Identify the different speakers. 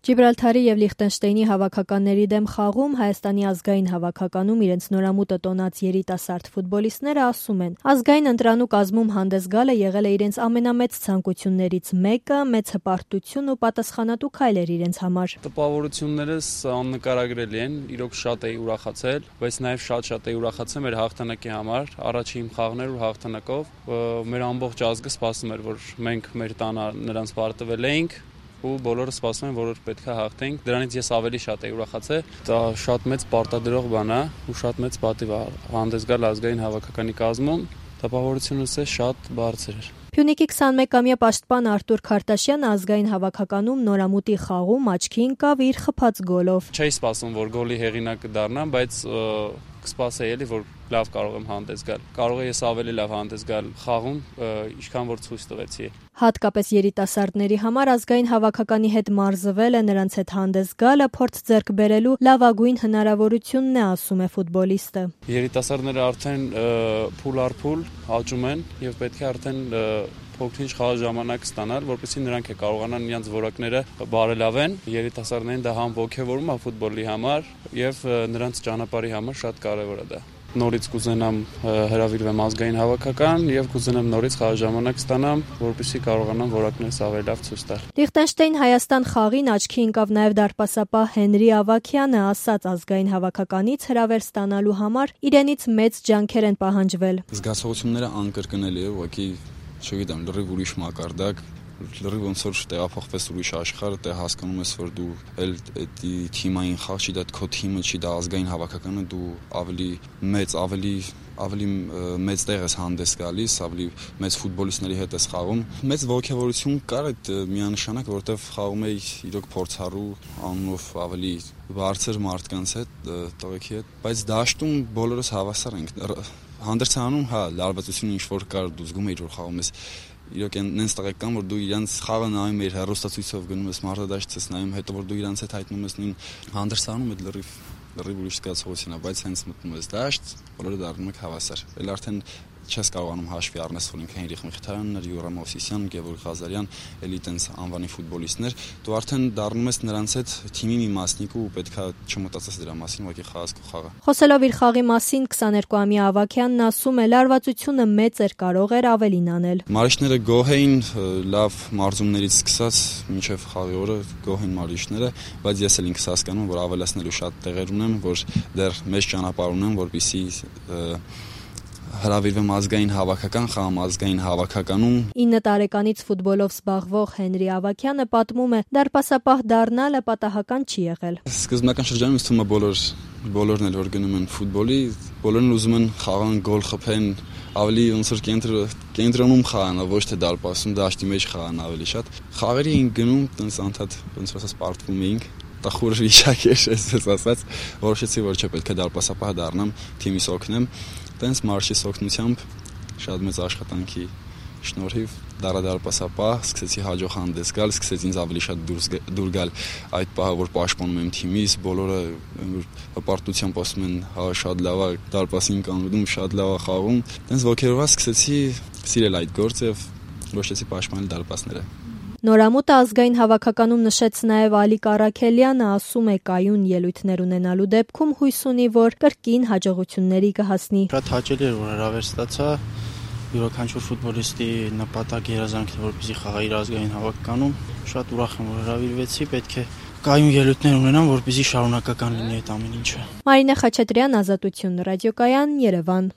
Speaker 1: Ջիբրալթարի և Լիխտենշտեյնի հավաքականների դեմ խաղում Հայաստանի ազգային հավաքականում իրենց նորամուտը տոնած երիտասարդ ֆուտբոլիստները ասում են, ազգային ընտրանու կազմում հանդես գալը եղել է իրենց ամենամեծ ցանկություններից մեկը, մեծ հպարտություն ու պատասխանատու քայլ էր իրենց համար։
Speaker 2: Տպավորություններս աննկարագրելի են, իրոք շատ էի ուրախացել, բայց նաև շատ էի ուրախացել մեր հաղթանակի համար, առաջին խաղն էր ու հաղթանակով մեր ամբողջ ազգը սպասում էր, որ մենք մեր տանը նրանց պարտվել էինք ու բոլորը սպասում են, որ պետք է հաղթենք։ Դրանից ես ավելի շատ էի ուրախացել։ Դա շատ մեծ պարտադրող բան է ու շատ մեծ պատիվ է հանդես գալ ազգային հավաքականի կազմում։ Տպավորությունս շատ բարձր էր։
Speaker 1: Փյունիկի 21-ամյա պաշտպան Արտուր Քարտաշյանը ազգային հավաքականում նորամուտի խաղում աչքի ընկավ իր խփած գոլով։
Speaker 2: Չէի սպասում, որ գոլի հեղինակը դառնամ, բայց կսպասեի էլի, որ լավ կարող եմ հանդես գալ։ Կարող եմ ես ավելի լավ հանդես գալ խաղում, ինչքան որ ցույց տվեցի։
Speaker 1: Հատկապես երիտասարդների համար ազգային հավաքականի հետ մարզվելը, նրանց հետ հանդես գալը փորձ ձեռք բերելու լավագույն հնարավորությունն է, ասում է ֆուտբոլիստը։
Speaker 2: Երիտասարդները արդեն փուլ առ փուլ աճում են եւ պետք է արդեն փոքր-ինչ խաղ ժամանակ ստանալ, որպեսզի նրանք կարողանան իրենց որակները բարելավեն։ Երիտասարդներին դա համ ոգևորում է ֆուտբոլի համար եւ նրանց ճանապարհի համար շատ կարեւոր է դա։ Նորից կուզենամ հրավիրվեմ ազգային հավաքական եւ կուզենամ նորից խաղ ժամանակ ստանամ, որպեսզի կարողանամ որակներս ավելի լավ ցույց տալ։
Speaker 1: Լիխտենշտեյն-Հայաստան խաղին աչքի ընկավ նաեւ դարպասապահ Հենրի Ավագյանը, ասաց ազգային հավաքականից հրավեր ստանալու համար իրենից մեծ ջանքեր են պահանջվել։
Speaker 3: Զգացողությունները անկրկնելի է, ուղղակի չգիտեմ, լրիվ ուրիշ մակարդակ, լրիվ ոնց որ տեղափոխվես ուրիշ աշխարհ, դե հասկանում ես, որ դու էլ էդի թիմային խաղ չի, դա քո թիմը չի, դա ազգային հավաքականը, դու ավելի մեծ տեղ ես հանդես գալիս, ավելի մեծ ֆուտբոլիստների հետ ես խաղում։ Մեծ ոգևորություն կար այդ միանշանակ, որովհետև խաղում էի իրոք փորձառու անունով ավելի բարձր մարդկանց հետ, տղեկի հետ, բայց դաշտում բոլորս հավասար ենք։ Հանդերձանում, լարվածություն ինչ որ կար, դու զգում էիր, որ խաղում ես։ Իրոք այնց տղեկ կան, որ դու իրանց խաղը նայում ես, հեռուստացույցով գնում ես, մարտադաշտ ես նայում, հետո որ դու իրանց հետ հայտնում ես նույն հանդերձանում, այդ լրիվ ուրիշ զգացողություն է, բայց հենց մտնում ես դաշտ, բոլորը դառնում եք հավասար։ Էլ արդեն չես կարողանում հաշվի առնես, որ ինքը Հենրիխ Միխիթարյանն էր, Յուրա Մովսիսյան, Գևորգ Ղազարյան, էլի տենց անվանի ֆուտբոլիստներ, դու արդեն դառնում ես նրանց հետ թիմի մի մասնիկ ու պետքա չմտածես դրա մասին, ուղղակի խաղաս քո խաղը։
Speaker 1: Խոսելով իր խաղի մասին 22-ամյա Ավագյանն ասում է, լարվածությունը մեծ էր, կարող էր ավելին անել։
Speaker 3: Մարիշները գոհ էին, լավ մարզումներից սկսած մինչև խաղի օրը գոհ են մարիշները, բայց ես էլ ինքս հասկանում, որ ավելացնելու շատ տեղեր ունեմ, որ դեռ մեծ ճանապարհ ունեմ, որպեսզի հրավիրվեմ ազգային հավաքական, խաղամ ազգային հավաքականում։
Speaker 1: 9 տարեկանից ֆուտբոլով զբաղվող Հենրի Ավագյանը պատմում է, դարպասապահ դառնալը պատահական չի եղել։
Speaker 3: Սկզբնական շրջանում ինձ թվում է բոլորն էլ որ գնում են ֆուտբոլի, բոլորն ուզում են խաղան, գոլ խփեն, ավելի ոնց որ կենտրոնում խաղան, ոչ թե դարպասում, դաշտի մեջ խաղան ավելի շատ։ Խաղերի էին գնում, տենց անդադ ոնց որ ասած պարտվում էինք։ Տխուր վիճակ էր, այսպես ասած, որոշեցի, որ չէ, պետք է դարպասապահ դառնամ, թիմիս օգնեմ։ Տենց մարշի օգնությամբ շատ մեծ աշխատանքի շնորհիվ դարպասապահ սկսեցի հաջող հանդես գալ, սկսեց ինձ ավելի շատ դուր գալ այդ պահը, որ պաշտպանում եմ թիմիս, բոլորը հպարտությամբ ասում են, հա շատ լավ է, դարպասին կանգնում, շատ լավ է խաղում։ Տենց ոգևորված սկսեցի սիրել այդ գործը եւ որոշեցի պաշտպանել դարպասները։
Speaker 1: Նորամուտը ազգային հավաքականում նշեց նաև Ալիկ Առաքելյանը, ասում է կայուն ելույթներ ունենալու դեպքում հույս ունի, որ կրկին հաջողությունների կհասնի։
Speaker 4: Շատ հաճելի էր, որ հրավեր ստացա, յուրաքանչյուր ֆուտբոլիստի նպատակ երազանքն է, որպեսզի խաղա իր ազգային հավաքականում։ Շատ ուրախ եմ, որ հրավիրվեցի, պետք է կայուն ելույթներ ունենամ, որպեսզի շարունակական լինի այդ ամեն ինչը։
Speaker 1: Մարինե Խաչատրյան, Ազատություն, ռադիոկայան, Երևան։